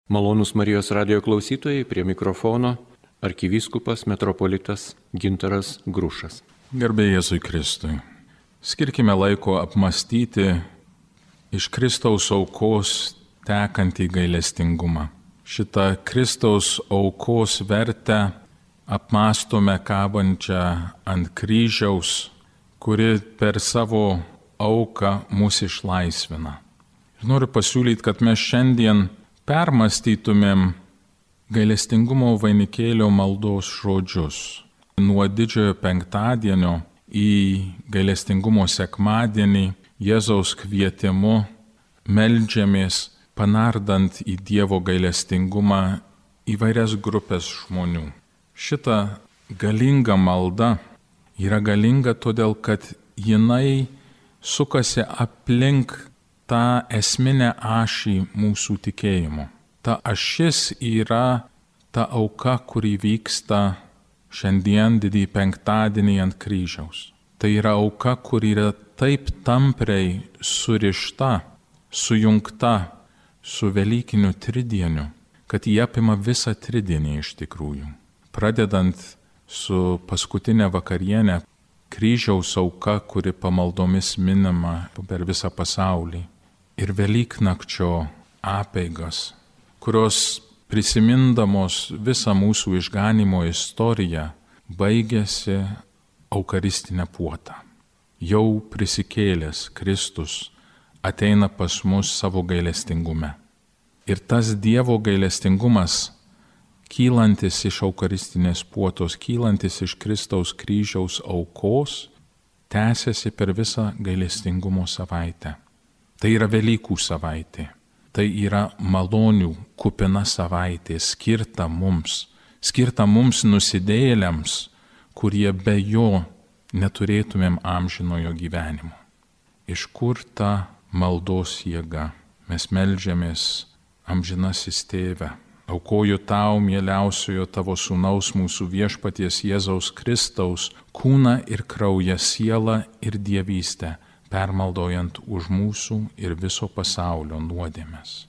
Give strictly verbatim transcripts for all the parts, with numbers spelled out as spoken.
Malonūs Marijos radijo klausytojai, prie mikrofono arkivyskupas metropolitas Gintaras Grušas. Garbė Jėzui Kristui. Skirkime laiko apmastyti iš Kristaus aukos tekantį gailestingumą. Šitą Kristaus aukos vertę apmastome kabančią ant kryžiaus, kuri per savo auką mus išlaisvina. Ir noriu pasiūlyti, kad mes šiandien permąstytumėm gailestingumo vainikėlio maldos žodžius. Nuo didžiojo penktadienio į gailestingumo sekmadienį Jėzaus kvietimu meldžiamės, panardant į Dievo gailestingumą įvairias grupės žmonių. Šita galinga malda yra galinga todėl, kad jinai sukasi aplink tą esminę ašį mūsų tikėjimo. Ta ašis yra ta auka, kuri vyksta šiandien didįjį penktadienį ant kryžiaus. Tai yra auka, kuri yra taip tampriai surišta, sujungta su Velykiniu tridieniu, kad jie apima visą tridienį iš tikrųjų. Pradedant su paskutinė vakarienė, kryžiaus auka, kuri pamaldomis minima per visą pasaulį. Ir Velyknakčio apeigas, kurios prisimindamos visą mūsų išganimo istoriją, baigėsi eucharistinę puotą. Jau prisikėlęs Kristus ateina pas mus savo gailestingume. Ir tas Dievo gailestingumas, kylantis iš eucharistinės puotos, kylantis iš Kristaus kryžiaus aukos, tęsiasi per visą gailestingumo savaitę. Tai yra Velykų savaitė, tai yra malonių kupina savaitė, skirta mums, skirta mums nusidėjėliams, kurie be jo neturėtumėm amžinojo gyvenimo. Iš kur ta maldos jėga? Mes meldžiamės, amžinasis Tėve, aukoju tau, mieliausiojo tavo sūnaus mūsų viešpaties Jėzaus Kristaus, kūną ir kraują, sielą ir dievystę, permaldojant už mūsų ir viso pasaulio nuodėmes.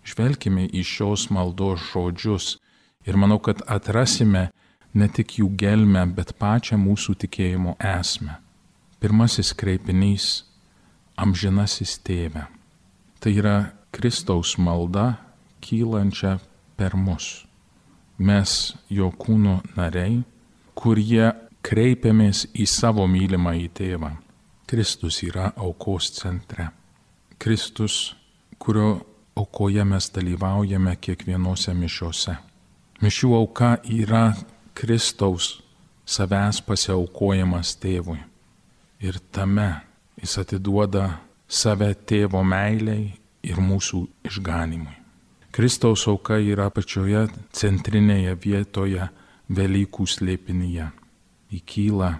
Žvelkime į šios maldos žodžius ir manau, kad atrasime ne tik jų gelmę, bet pačią mūsų tikėjimo esmę. Pirmasis kreipinys – amžinasis Tėve. Tai yra Kristaus malda, kylančia per mus. Mes jo kūno nariai, kurie kreipiamės į savo mylimąjį Tėvą. Kristus yra aukos centre. Kristus, kurio aukoje mes dalyvaujame kiekvienose mišiose. Mišių auka yra Kristaus savęs pasiaukojimas Tėvui. Ir tame jis atiduoda save Tėvo meiliai ir mūsų išganimui. Kristaus auka yra pačioje centrinėje vietoje Velykų slėpinyje. Įkyla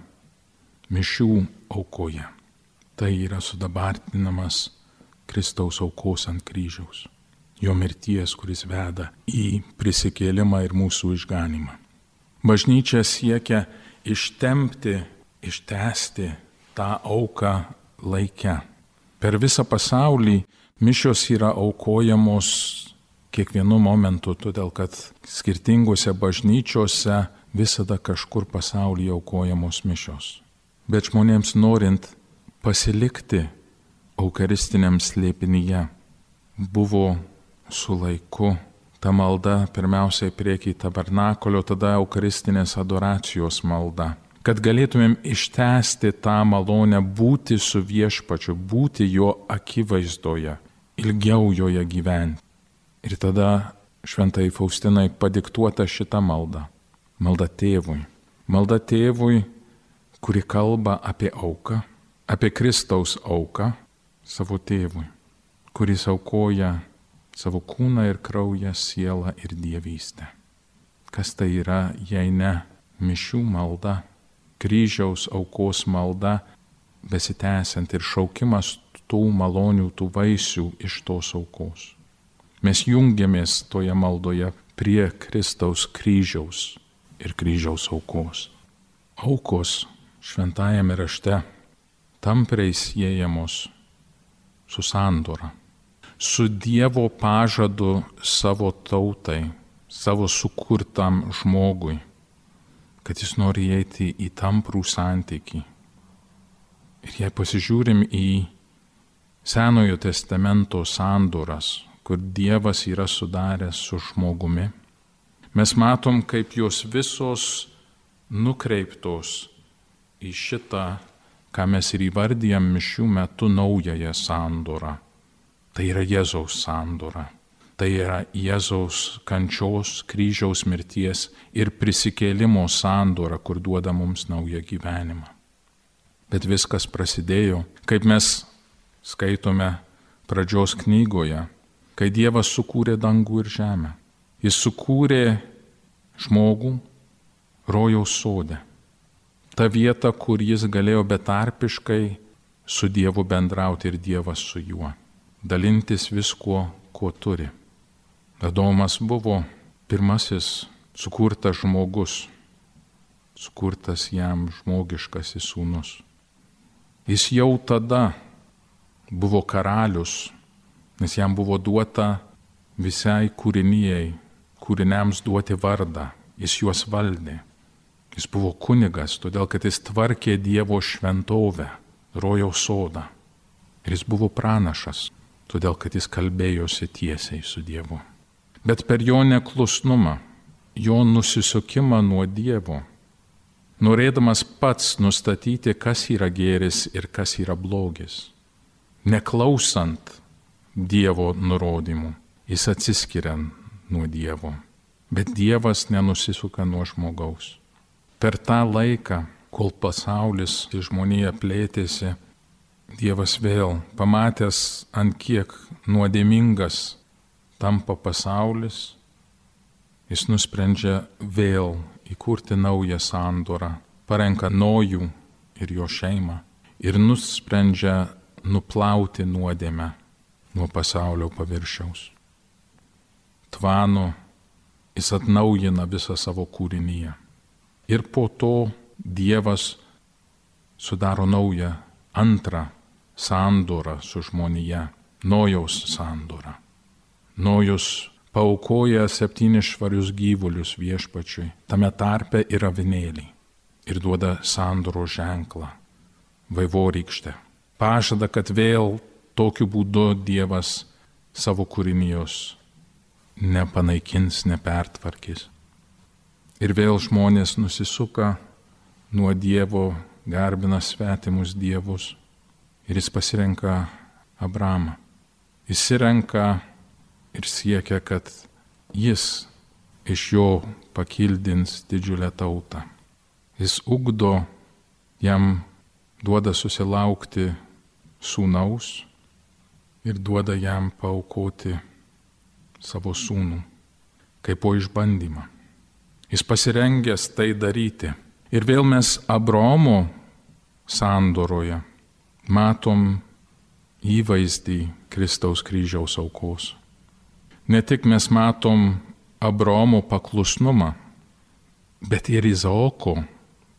mišių aukoje. Tai yra sudabartinamas Kristaus aukos ant kryžiaus. Jo mirties, kuris veda į prisikėlimą ir mūsų išganimą. Bažnyčia siekia ištempti, ištęsti tą auką laike. Per visą pasaulį mišios yra aukojamos kiekvienu momentu, todėl kad skirtingose bažnyčiose visada kažkur pasaulyje aukojamos mišios. Bet žmonėms norint pasilikti eucharistiniam slėpinyje, buvo su laiku ta malda pirmiausiai prieky tabernakulio, tada eucharistinės adoracijos malda. Kad galėtumėm ištęsti tą malonę būti su viešpačiu, būti jo akivaizdoje, ilgiau joje gyventi. Ir tada šventai Faustinai padiktuota šita malda. Malda Tėvui. Malda Tėvui, kuri kalba apie auką, apie Kristaus auką savo Tėvui, kuris aukoja savo kūną ir kraują, sielą ir dievystę. Kas tai yra, jei ne mišių malda, kryžiaus aukos malda, besitęsiant ir šaukimas tų malonių, tų vaisių iš tos aukos. Mes jungiamės toje maldoje prie Kristaus kryžiaus ir kryžiaus aukos. Aukos šventajame rašte tampriai siejamos su sandora. su Dievo pažadu savo tautai, savo sukurtam žmogui, kad jis nori įeiti į tamprų santykį. Ir jei pasižiūrim į Senojo testamento sandoras, kur Dievas yra sudaręs su žmogumi, mes matom, kaip jos visos nukreiptos į šitą, ką mes ir įvardijam mišių metu, naująją sandorą. Tai yra Jėzaus sandora. Tai yra Jėzaus kančios, kryžiaus mirties ir prisikėlimo sandora, kur duoda mums naują gyvenimą. Bet viskas prasidėjo, kaip mes skaitome pradžios knygoje, kai Dievas sukūrė dangų ir žemę. Jis sukūrė žmogų rojaus sode. Ta vieta, kur jis galėjo betarpiškai su Dievu bendrauti ir Dievas su juo. Dalintis viskuo, ko turi. Adomas buvo pirmasis sukurtas žmogus, sukurtas jam žmogiškasis sūnus. Jis jau tada buvo karalius, nes jam buvo duota visai kūrinijai, kūriniams duoti vardą. Jis juos valdė. Jis buvo kunigas, todėl kad jis tvarkė Dievo šventovę, rojaus sodą. Ir jis buvo pranašas, todėl kad jis kalbėjosi tiesiai su Dievu. Bet per jo neklusnumą, jo nusisukimą nuo Dievo, norėdamas pats nustatyti, kas yra gėris ir kas yra blogis, neklausant Dievo nurodymų, jis atsiskiria nuo Dievo. Bet Dievas nenusisuka nuo žmogaus. Per tą laiką, kol pasaulis ir žmonija plėtėsi, Dievas vėl, pamatęs, ant kiek nuodėmingas tampa pasaulis, jis nusprendžia vėl įkurti naują sandorą, parenka Nojų ir jo šeimą ir nusprendžia nuplauti nuodėmę nuo pasaulio paviršiaus. Tvano jis atnaujina visą savo kūrinyje. Ir po to Dievas sudaro naują, antrą sandorą su žmonija, Nojaus sandorą. Nojus paaukoja septynis švarius gyvulius viešpačiui, tame tarpe ir avinėlį, ir duoda sandoro ženklą, vaivorykštę. Pažada, kad vėl tokiu būdu Dievas savo kūrinijos nepanaikins, nepertvarkys. Ir vėl žmonės nusisuka nuo Dievo, garbina svetimus dievus ir jis pasirenka Abramą. Jis renka ir siekia, kad jis iš jo pakildins didžiulę tautą. Jis ugdo, jam duoda susilaukti sūnaus ir duoda jam paaukoti savo sūnų, kaip po išbandymą. Jis pasirengęs tai daryti. Ir vėl mes Abraomo sandoroje matom įvaizdį Kristaus kryžiaus aukos. Ne tik mes matom Abraomo paklusnumą, bet ir Izaoko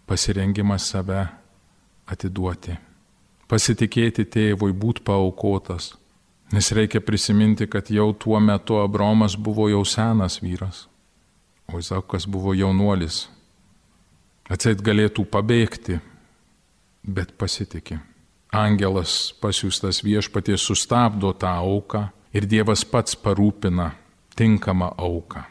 pasirengimą save atiduoti. Pasitikėti tėvui, būti paaukotas. Nes reikia prisiminti, kad jau tuo metu Abraomas buvo jau senas vyras, o Izaokas buvo jaunuolis. Atseit galėtų pabėgti, bet pasitikė. Angelas pasiųstas viešpaties sustabdo tą auką ir Dievas pats parūpina tinkamą auką.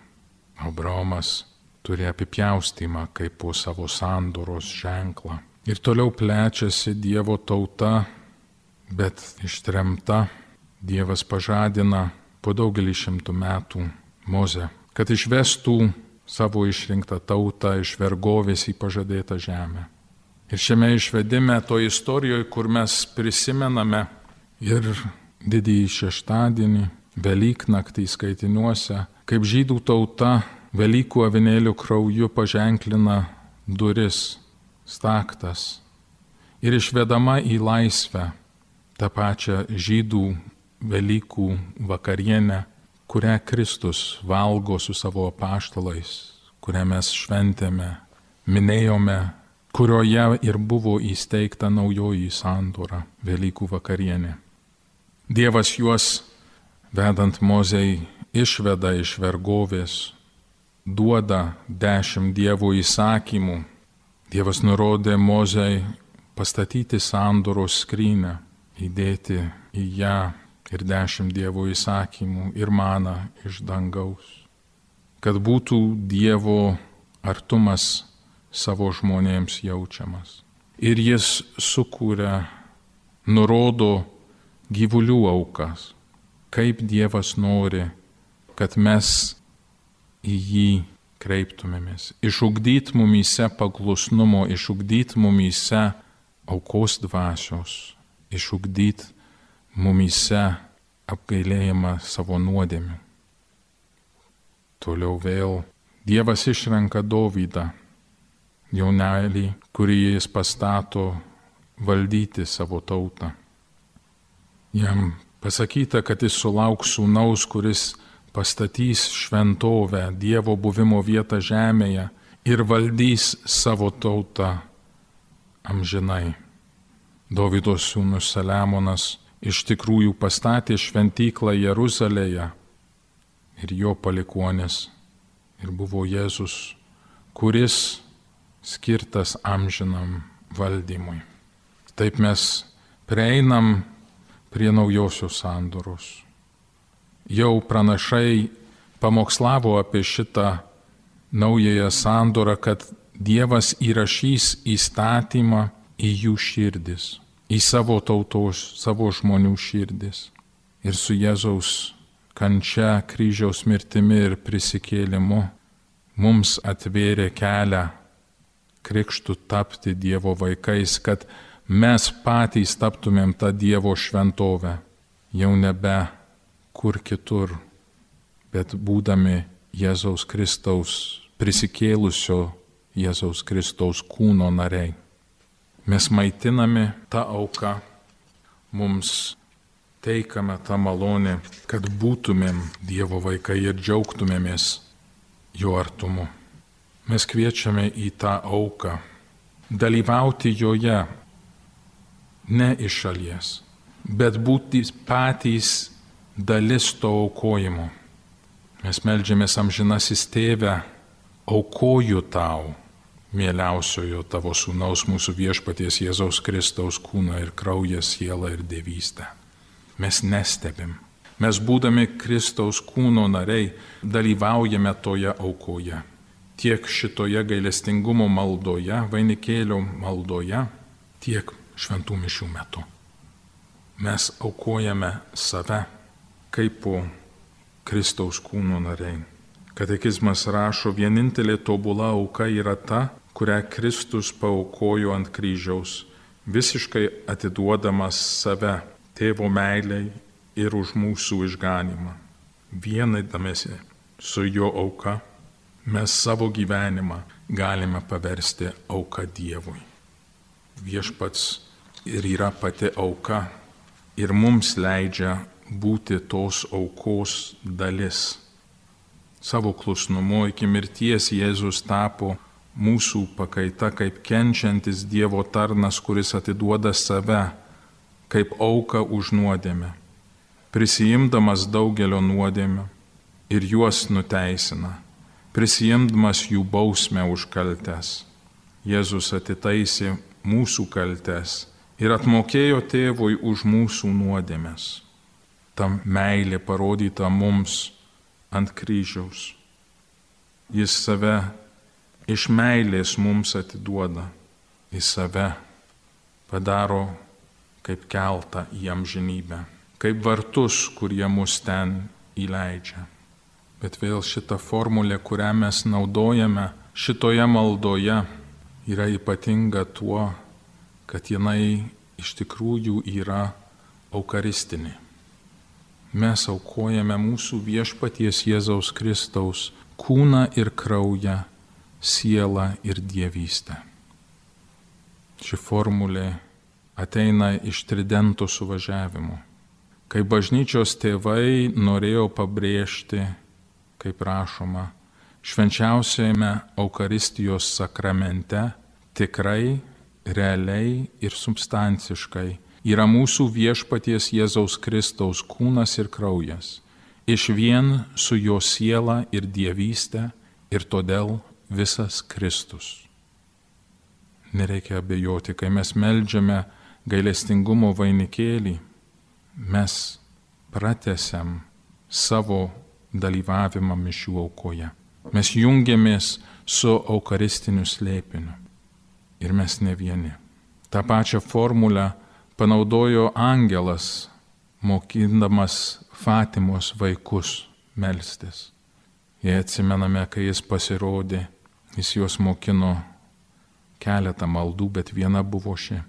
Abraomas turi apipjaustymą kaip po savo sandoros ženklą. Ir toliau plečiasi Dievo tauta, bet ištremta. Dievas pažadina po daugelį šimtų metų Mozę, kad išvestų savo išrinktą tautą iš vergovės į pažadėtą žemę. Ir šiame išvedime, to istorijoje, kur mes prisimename ir didįjį šeštadienį, Velyknaktį skaitiniuose, kaip žydų tauta Velykų avinėlių krauju paženklina duris, staktas ir išvedama į laisvę tą pačią žydų Velykų vakarienę, kurią Kristus valgo su savo apaštalais, kurią mes šventėme, minėjome, kurioje ir buvo įsteigta naujoji sandora, Velykų vakarienė. Dievas juos vedant Mozei, išveda iš vergovės, duoda dešimt Dievo įsakymų. Dievas nurodė Mozei pastatyti sandoros skrynę, įdėti į ją ir dešimt Dievo įsakymų ir maną iš dangaus, kad būtų Dievo artumas savo žmonėms jaučiamas. Ir jis sukūrė, nurodo gyvulių aukas, kaip Dievas nori, kad mes į jį kreiptumėmės. Išugdyt mumyse paklusnumo, išugdyt mumyse aukos dvasios, išugdyt mumyse apgailėjimą savo nuodėmių. Toliau vėl Dievas išrenka Dovydą, jaunelį, kurį jis pastato valdyti savo tautą. Jam pasakyta, kad jis sulauks sūnaus, kuris pastatys šventovę, Dievo buvimo vietą žemėje ir valdys savo tautą amžinai. Dovydo sūnus Saliamonas iš tikrųjų pastatė šventyklą Jeruzalėje ir jo palikuonis ir buvo Jėzus, kuris skirtas amžinam valdymui. Taip mes prieinam prie naujosios sandoros. Jau pranašai pamokslavo apie šitą naująją sandorą, kad Dievas įrašys įstatymą į jų širdis, į savo tautos, savo žmonių širdis. Ir su Jėzaus kančia, kryžiaus mirtimi ir prisikėlimu mums atvėrė kelią krikštų tapti Dievo vaikais, kad mes patys taptumėm tą Dievo šventovę, jau nebe kur kitur, bet būdami Jėzaus Kristaus, prisikėlusio Jėzaus Kristaus kūno nariai. Mes maitinami tą auką, mums teikame tą malonę, kad būtumėm Dievo vaikai ir džiaugtumėmės jo artumu. Mes kviečiame į tą auką, dalyvauti joje, ne iš šalies, bet būti patys dalis to aukojimo. Mes meldžiamės amžinasis Tėve, aukoju tau, mieliausiojo tavo sūnaus mūsų viešpaties Jėzaus Kristaus kūną ir kraują, sielą ir dievystę. Mes nestebim. Mes būdami Kristaus kūno nariai dalyvaujame toje aukoje. Tiek šitoje gailestingumo maldoje, vainikėlio maldoje, tiek šventų mišių metu. Mes aukojame save kaip po Kristaus kūno nariai. Katekizmas rašo, vienintelė tobula auka yra ta, kurią Kristus paaukojo ant kryžiaus, visiškai atiduodamas save Tėvo meiliai ir už mūsų išganymą. Vienydamiesi su jo auka, mes savo gyvenimą galime paversti auka Dievui. Viešpats ir yra pati auka ir mums leidžia būti tos aukos dalis. Savo klusnumu iki mirties Jėzus tapo mūsų pakaita kaip kenčiantis Dievo tarnas, kuris atiduoda save kaip auką už nuodėmę, prisijimdamas daugelio nuodėmių ir juos nuteisina, prisijimdamas jų bausmę už kaltes. Jėzus atitaisė mūsų kaltes ir atmokėjo Tėvui už mūsų nuodėmes. Ta meilė parodyta mums ant kryžiaus. Jis save iš meilės mums atiduoda, jis save padaro kaip keltą į amžinybę, kaip vartus, kurie mus ten įleidžia. Bet vėl šita formulė, kurią mes naudojame šitoje maldoje, yra ypatinga tuo, kad jinai iš tikrųjų yra eucharistinė. Mes aukojame mūsų viešpaties Jėzaus Kristaus kūną ir kraują, sielą ir dievystę. Ši formulė ateina iš tridento suvažiavimo, kai bažnyčios tėvai norėjo pabrėžti, kaip rašoma, švenčiausiame Eucharistijos sakramente tikrai, realiai ir substanciškai yra mūsų viešpaties Jėzaus Kristaus kūnas ir kraujas, išvien su jo siela ir dievystė ir todėl visas Kristus. Nereikia abejoti, kai mes meldžiame gailestingumo vainikėlį, mes pratęsiam savo dalyvavimą mišių aukoje. Mes jungiamės su eucharistiniu slėpiniu ir mes ne vieni. Ta pačią formulę panaudojo angelas, mokindamas Fatimos vaikus melstis. Jei atsimename, kai jis pasirodė, jis juos mokino keletą maldų, bet viena buvo ši.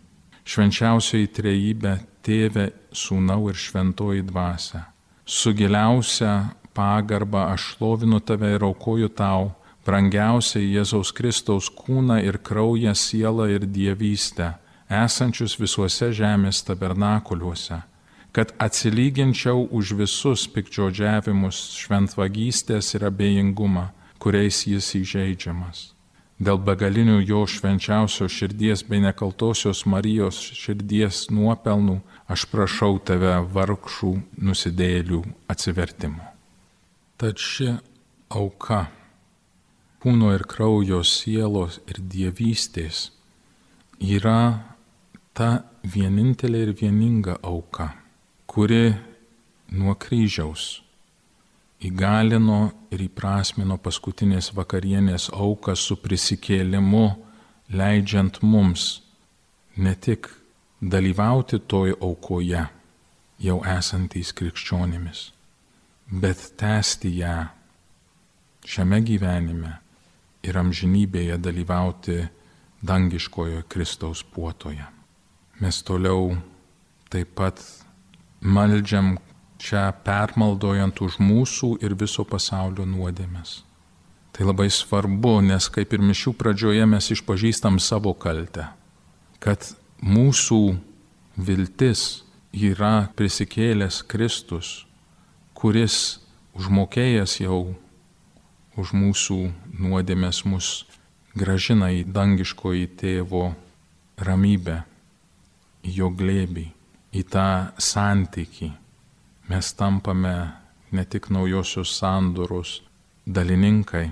Švenčiausioji trejybė, Tėve, Sūnau ir Šventoji Dvasia. Su giliausia pagarba aš šlovinu tave ir aukoju tau, brangiausiai Jėzaus Kristaus kūną ir kraują, sielą ir dievystę, esančius visuose žemės tabernakuliuose, kad atsilyginčiau už visus piktžodžiavimus, šventvagystės ir abejingumą, kuriais jis įžeidžiamas. Dėl begalinių jo švenčiausios širdies bei nekaltosios Marijos širdies nuopelnų aš prašau tave vargšų nusidėjėlių atsivertimo. Tad ši auka, kūno ir kraujo, sielos ir dievystės, yra ta vienintelė ir vieninga auka, kuri nuo kryžiaus įgalino ir įprasmino paskutinės vakarienės auką su prisikėlimu, leidžiant mums ne tik dalyvauti toj aukoje, jau esantys krikščionimis, bet tęsti ją šiame gyvenime ir amžinybėje dalyvauti dangiškojo Kristaus puotoje. Mes toliau taip pat meldžiam čia permaldojant už mūsų ir viso pasaulio nuodėmes. Tai labai svarbu, nes kaip ir mišių pradžioje mes išpažįstam savo kaltę, kad mūsų viltis yra prisikėlęs Kristus, kuris užmokėjęs jau už mūsų nuodėmes mus gražina į dangiškoji Tėvo ramybę, į jo glėbį, į tą santykį. Mes tampame ne tik naujosios sandoros dalininkai,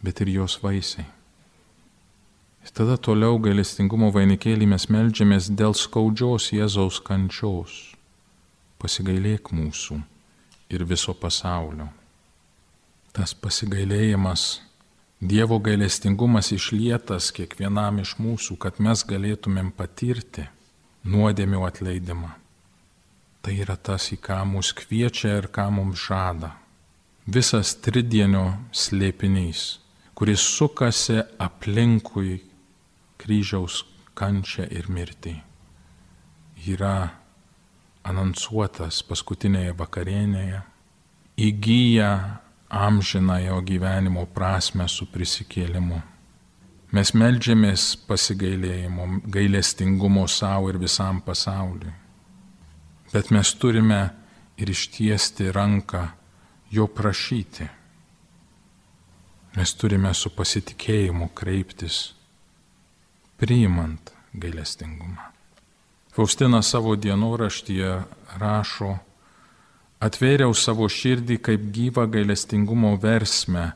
bet ir jos vaisiai. Ir tada toliau gailestingumo vainikėlį mes meldžiamės dėl skaudžios Jėzaus kančios. Pasigailėk mūsų ir viso pasaulio. Tas pasigailėjimas, Dievo gailestingumas išlietas kiekvienam iš mūsų, kad mes galėtumėm patirti nuodėmių atleidimą. Tai yra tas, į ką mus kviečia ir ką mums žada. Visas tridienio slėpinys, kuris sukasi aplinkui kryžiaus kančią ir mirtį, yra anonsuotas paskutinėje vakarienėje, įgyja amžinąjo gyvenimo prasmę su prisikėlimu. Mes meldžiamės pasigailėjimo, gailestingumo savo ir visam pasauliui. Bet mes turime ir ištiesti ranką jo prašyti. Mes turime su pasitikėjimu kreiptis, priimant gailestingumą. Faustina savo dienoraštyje rašo: atvėriau savo širdį kaip gyvą gailestingumo versmę,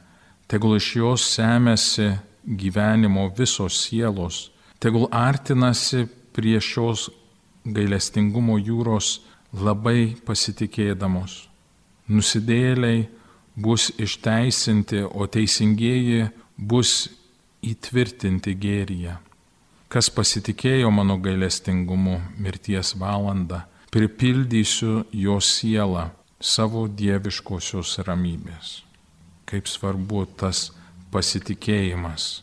tegul iš jos semiasi gyvenimo visos sielos, tegul artinasi prie šios gailestingumo jūros labai pasitikėdamos. Nusidėjėliai bus išteisinti, o teisingieji bus įtvirtinti gėryje. Kas pasitikėjo mano gailestingumu mirties valandą, pripildysiu jo sielą savo dieviškosios ramybės. Kaip svarbu tas pasitikėjimas.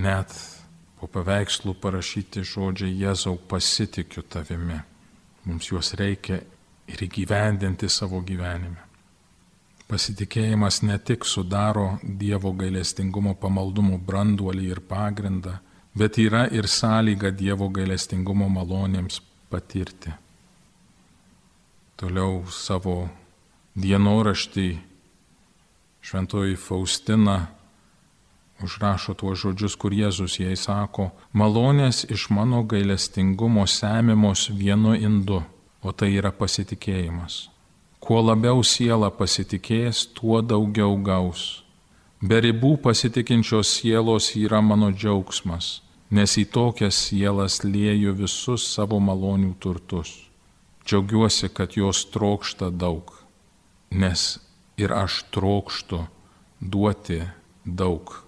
Net po paveikslų parašyti žodžiai Jėzau, pasitikiu tavimi. Mums juos reikia ir įgyvendinti savo gyvenime. Pasitikėjimas ne tik sudaro Dievo gailestingumo pamaldumo branduolį ir pagrindą, bet yra ir sąlyga Dievo gailestingumo malonėms patirti. Toliau savo dienoraštį šventoji Faustina užrašo tuos žodžius, kur Jėzus jai sako, malonės iš mano gailestingumo semimos vienu indu, o tai yra pasitikėjimas. Kuo labiau siela pasitikės, tuo daugiau gaus. Be ribų pasitikinčios sielos yra mano džiaugsmas, nes į tokias sielas lieju visus savo malonių turtus. Džiaugiuosi, kad jos trokšta daug, nes ir aš trokštu duoti daug,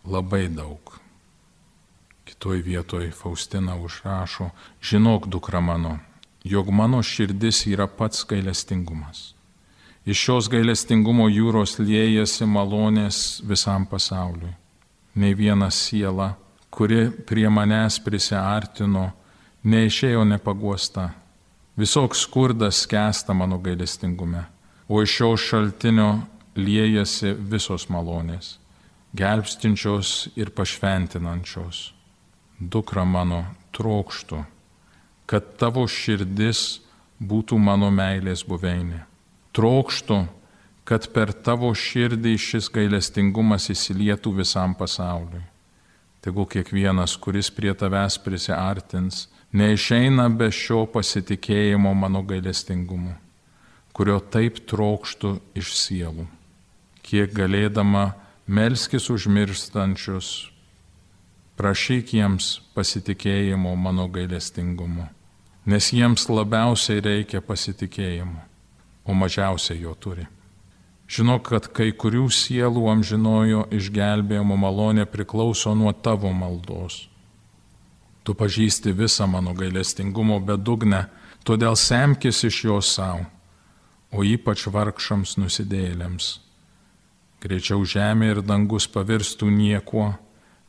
labai daug. Kitoj vietoj Faustina užrašo, žinok, dukra mano, jog mano širdis yra pats gailestingumas. Iš šios gailestingumo jūros liejasi malonės visam pasauliui. Nei viena siela, kuri prie manęs prisiartino, neišėjo nepaguosta. Visoks skurdas skęsta mano gailestingume, o iš šio šaltinio liejasi visos malonės, gelbstinčios ir pašventinančios. Dukra mano, trokštu, kad tavo širdis būtų mano meilės buveinė. Trokštu, kad per tavo širdį šis gailestingumas įsilietų visam pasauliui. Tegul kiekvienas, kuris prie tavęs prisiartins, neišeina be šio pasitikėjimo mano gailestingumu, kurio taip trokštu iš sielų. Kiek galėdama melskis užmirštančius, prašyk jiems pasitikėjimo mano gailestingumu, nes jiems labiausiai reikia pasitikėjimo, o mažiausiai jo turi. Žinok, kad kai kurių sielų amžinojo išgelbėjimo malonė priklauso nuo tavo maldos. Tu pažįsti visą mano gailestingumo bedugnę, todėl semkis iš jo savo, o ypač vargšams nusidėjėliams. Greičiau žemė ir dangus pavirstų niekuo,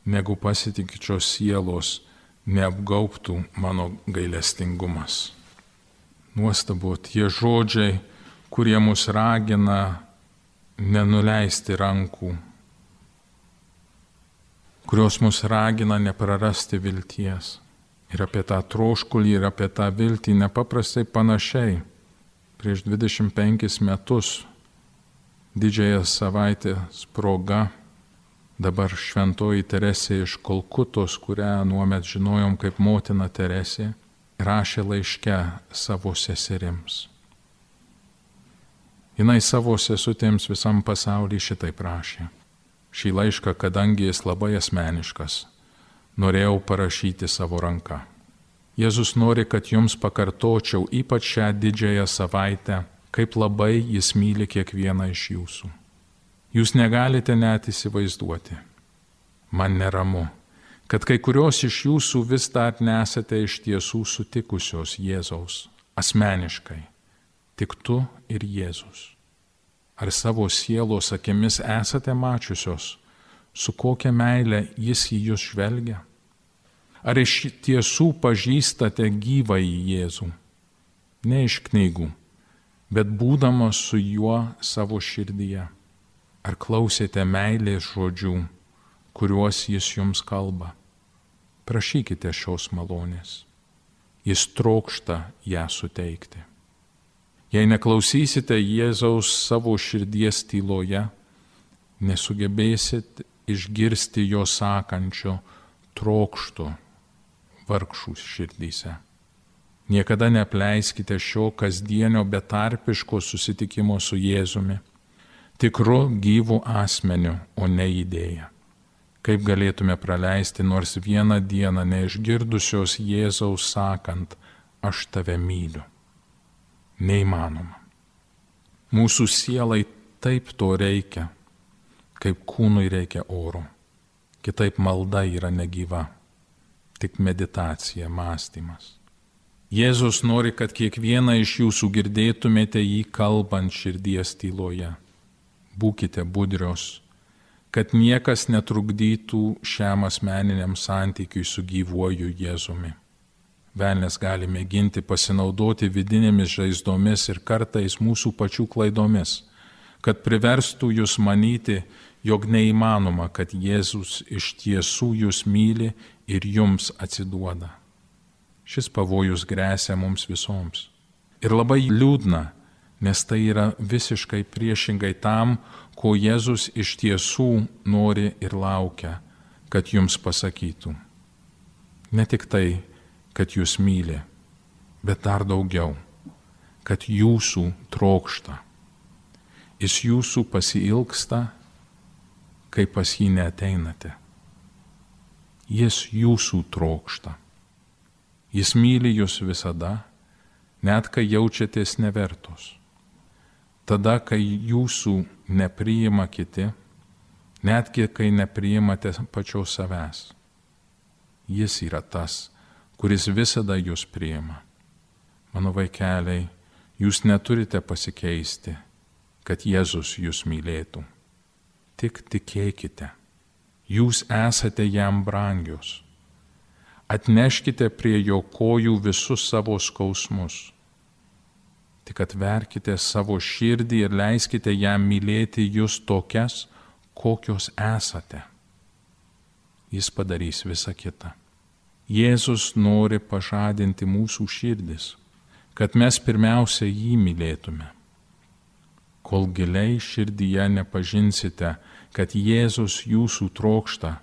negu pasitikinčios sielos neapgaubtų mano gailestingumas. Nuostabu tie žodžiai, kurie mus ragina nenuleisti rankų, kurios mus ragina neprarasti vilties. Ir apie tą troškulį, ir apie tą viltį nepaprastai panašiai. Prieš dvidešimt penkis metus didžiąją savaitės proga dabar šventoji Teresė iš Kolkutos, kurią nuomet žinojom kaip motina Teresė, rašė laiške savo seserims. Jinai savo sesutėms visam pasaulyje šitaip rašė. Šį laišką, kadangi jis labai asmeniškas, norėjau parašyti savo ranką. Jėzus nori, kad jums pakartočiau ypač šią didžiąją savaitę, kaip labai jis myli kiekvieną iš jūsų. Jūs negalite net įsivaizduoti. Man neramu, kad kai kurios iš jūsų vis dar nesate iš tiesų sutikusios Jėzaus asmeniškai, tik tu ir Jėzus. Ar savo sielos akimis esate mačiusios, su kokia meile jis į jūs žvelgia? Ar iš tiesų pažįstate gyvąjį Jėzų? Ne iš knygų, bet būdamas su juo savo širdyje. Ar klausėte meilės žodžių, kuriuos jis jums kalba? Prašykite šios malonės. Jis trokšta ją suteikti. Jei neklausysite Jėzaus savo širdies tyloje, nesugebėsit išgirsti jo sakančio trokštų vargšų širdyse. Niekada neapleiskite šio kasdienio betarpiško susitikimo su Jėzumi, tikru gyvu asmeniu, o ne idėja. Kaip galėtume praleisti nors vieną dieną neišgirdusios Jėzaus sakant, aš tave myliu. Neįmanoma. Mūsų sielai taip to reikia, kaip kūnui reikia oro. Kitaip malda yra negyva, tik meditacija, mąstymas. Jėzus nori, kad kiekvieną iš jūsų girdėtumėte jį kalbant širdies tyloje. Būkite budrios, kad niekas netrukdytų šiam asmeniniam santykiui su gyvuoju Jėzumi. Velnias gali mėginti pasinaudoti vidinėmis žaizdomis ir kartais mūsų pačių klaidomis, kad priverstų jūs manyti, jog neįmanoma, kad Jėzus iš tiesų jūs myli ir jums atsiduoda. Šis pavojus gresia mums visoms. Ir labai liūdna, nes tai yra visiškai priešingai tam, ko Jėzus iš tiesų nori ir laukia, kad jums pasakytų. Ne tik tai, kad jūs myli, bet dar daugiau, kad jūsų trokšta. Jis jūsų pasiilgsta, kai pas jį neateinate. Jis jūsų trokšta. Jis myli jūs visada, net kai jaučiatės nevertos. Tada, kai jūsų nepriima kiti, netgi kai nepriimate pačios savęs. Jis yra tas, kuris visada jūs priima. Mano vaikeliai, jūs neturite pasikeisti, kad Jėzus jūs mylėtų. Tik tikėkite. Jūs esate jam brangios. Atneškite prie jo kojų visus savo skausmus. Tik atverkite savo širdį ir leiskite jam mylėti jūs tokias, kokios esate. Jis padarys visą kitą. Jėzus nori pažadinti mūsų širdis, kad mes pirmiausia jį mylėtume. Kol giliai širdyje nepažinsite, kad Jėzus jūsų trokšta,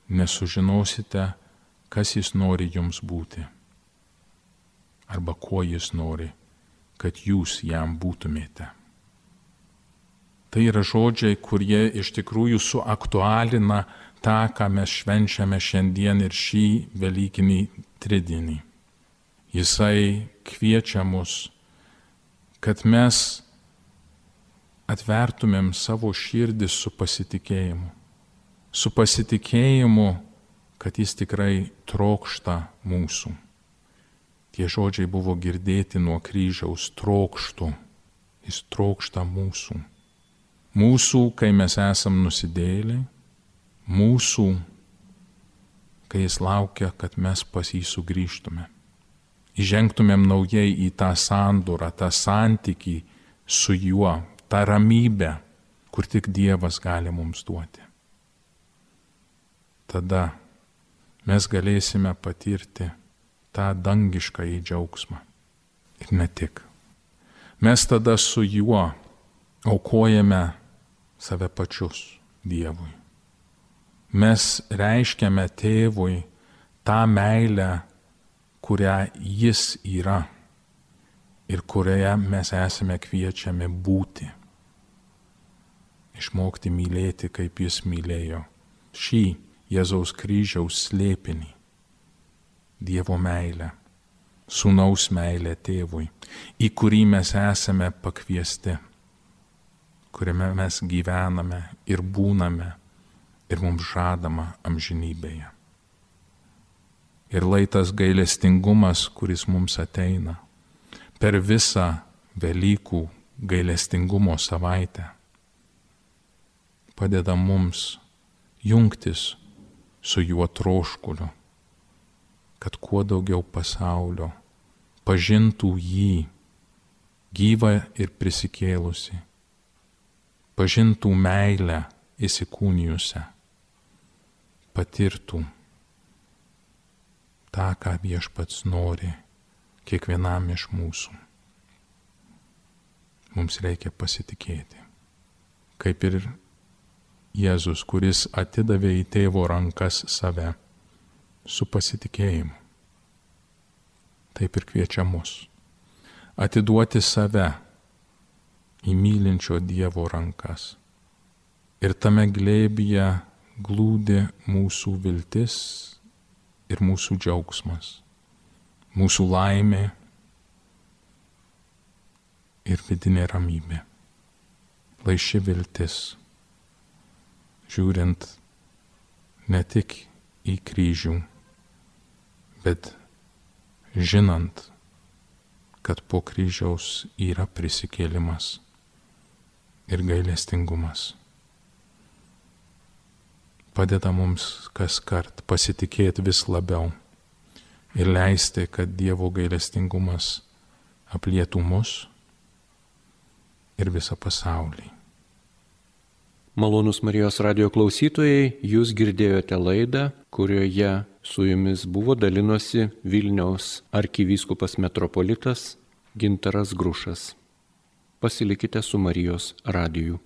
nesužinosite, kas jis nori jums būti, arba kuo jis nori, kad jūs jam būtumėte. Tai yra žodžiai, kurie iš tikrųjų suaktualina tą, ką mes švenčiame šiandien ir šį velykinį tridienį. Jisai kviečia mus, kad mes atvertumėm savo širdį su pasitikėjimu. Su pasitikėjimu, kad jis tikrai trokšta mūsų. Tie žodžiai buvo girdėti nuo kryžiaus, trokštų. Jis trokšta mūsų. Mūsų, kai mes esam nusidėjėliai, mūsų, kai jis laukia, kad mes pas jį sugrįžtume. Įžengtumėm naujai į tą sandorą, tą santykį su juo, tą ramybę, kur tik Dievas gali mums duoti. Tada mes galėsime patirti tą dangiškąjį džiaugsmą. Ir ne tik. Mes tada su juo aukojame save pačius Dievui. Mes reiškiame tėvui tą meilę, kurią jis yra ir kurioje mes esame kviečiami būti. Išmokti mylėti, kaip jis mylėjo. Šį Jėzaus kryžiaus slėpinį. Dievo meilę, sūnaus meilę tėvui, į kurį mes esame pakviesti, kuriame mes gyvename ir būname ir mums žadama amžinybėje. Ir lai tas gailestingumas, kuris mums ateina per visą Velykų gailestingumo savaitę, padeda mums jungtis su juo troškuliu, kad kuo daugiau pasaulio pažintų jį, gyvą ir prisikėlusi, pažintų meilę įsikūnijusią, patirtų tą, ką Viešpats nori kiekvienam iš mūsų. Mums reikia pasitikėti, kaip ir Jėzus, kuris atidavė į tėvo rankas save su pasitikėjimu. Taip ir kviečia mus atiduoti save į mylinčio Dievo rankas. Ir tame glėbyje glūdi mūsų viltis ir mūsų džiaugsmas, mūsų laimė ir vidinė ramybė. Lai ši viltis, žiūrint ne tik į kryžių, bet žinant, kad po kryžiaus yra prisikėlimas ir gailestingumas, padeda mums kaskart pasitikėti vis labiau ir leisti, kad Dievo gailestingumas aplietų mus ir visą pasaulį. Malonūs Marijos radijo klausytojai, jūs girdėjote laidą, kurioje su jumis buvo dalinosi Vilniaus arkivyskupas metropolitas Gintaras Grušas. Pasilikite su Marijos radiju.